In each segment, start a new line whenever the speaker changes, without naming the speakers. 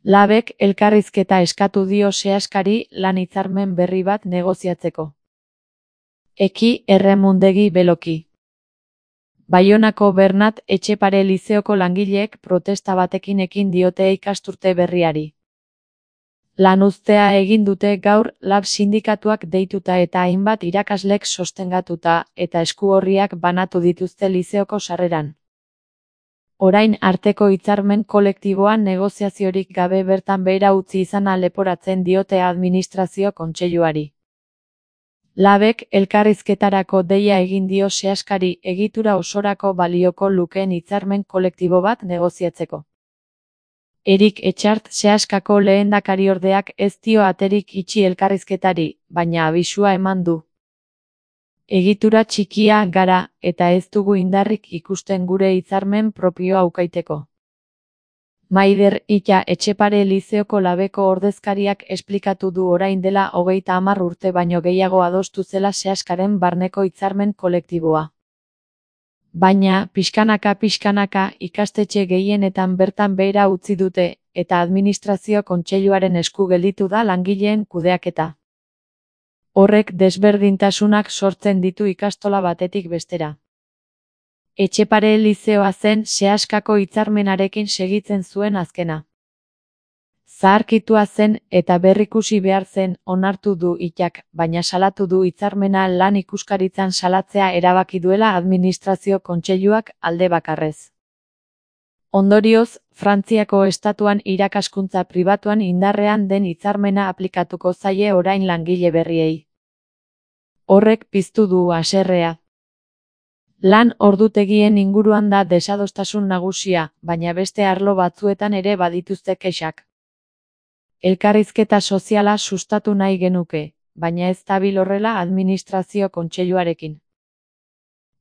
Labek elkarrizketa eskatu dio Seaskari lan hitzarmen berri bat negoziatzeko. Eki Erremundegi Beloki. Baionako Bernat Etxepare Lizeoko langileek protesta batekin ekin diote ikasturte berriari. Lanuztea egin dute gaur Lab sindikatuak deituta eta hainbat irakaslek sostengatuta eta eskuorriak banatu dituzte lizeoko sarreran. Orain arteko hitzarmen kolektiboan negoziaziorik gabe bertan behera utzi izana leporatzen diote administrazio kontseiluari. Labek elkarrizketarako deia egin dio Seaskari egitura osorako balioko lukeen hitzarmen kolektibo bat negoziatzeko. Erik Etxart Seaskako lehendakariordeak ez dio aterik itxi elkarrizketari, baina abisua eman du. Egitura txikia gara, eta ez dugu indarrik ikusten gure hitzarmen propioa aukaiteko. Maider Ita Etxepare Lizeoko Labeko ordezkariak esplikatu du orain dela 30 urte baino gehiago adostu zela Seaskaren barneko hitzarmen kolektiboa. Baina, pixkanaka ikastetxe gehienetan bertan behera utzi dute, eta administrazio kontseiluaren esku gelditu da langileen kudeaketa. Horrek desberdintasunak sortzen ditu ikastola batetik bestera. Etxepare Lizeoa zen Seaskako hitzarmenarekin segitzen zuen azkena. Zaharkitua zen eta berrikusi behar zen onartu du Itak, baina salatu du hitzarmena lan ikuskaritzan salatzea erabaki duela administrazio kontseiluak alde bakarrez. Ondorioz, Frantziako estatuan irakaskuntza pribatuan indarrean den hitzarmena aplikatuko zaie orain langile berriei. Horrek piztu du haserrea. Lan ordutegien inguruan da desadostasun nagusia, baina beste arlo batzuetan ere badituzte kexak. Elkarrizketa soziala sustatu nahi genuke, baina ez dabil horrela administrazio kontseiluarekin.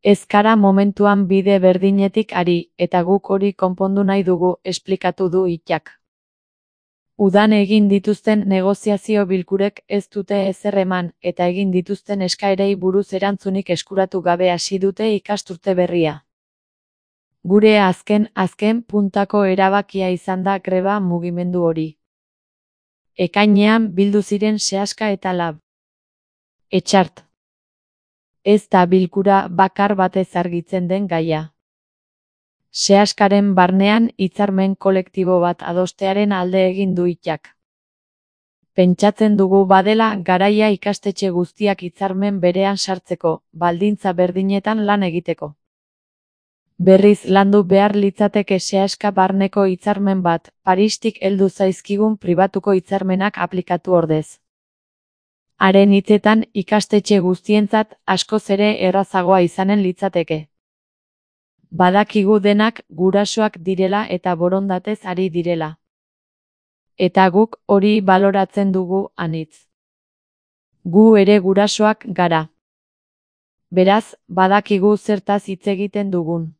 Ez gara momentuan bide berdinetik ari, eta guk hori konpondu nahi dugu, esplikatu du Itak. Udan egin dituzten negoziazio bilkurek ez dute ezer eman, eta egin dituzten eskaerei buruz erantzunik eskuratu gabe hasi dute ikasturte berria. Gure azken puntako erabakia izan da greba mugimendu hori. Ekainean bildu ziren Seaska eta Lab. Etxart. Ez da bilkura bakar batez argitzen den gaia. Seaskaren barnean hitzarmen kolektibo bat adostearen alde egin du Itak. Pentsatzen dugu badela garaia ikastetxe guztiak hitzarmen berean sartzeko, baldintza berdinetan lan egiteko. Berriz landu behar litzateke Seaska barneko hitzarmen bat, Paristik heldu zaizkigun pribatuko hitzarmenak aplikatu ordez. Haren hitzetan ikastetxe guztientzat askoz ere errazagoa izanen litzateke. Badakigu denak gurasoak direla eta borondatez ari direla. Eta guk hori baloratzen dugu anitz. Gu ere gurasoak gara. Beraz, badakigu zertaz hitz egiten dugun.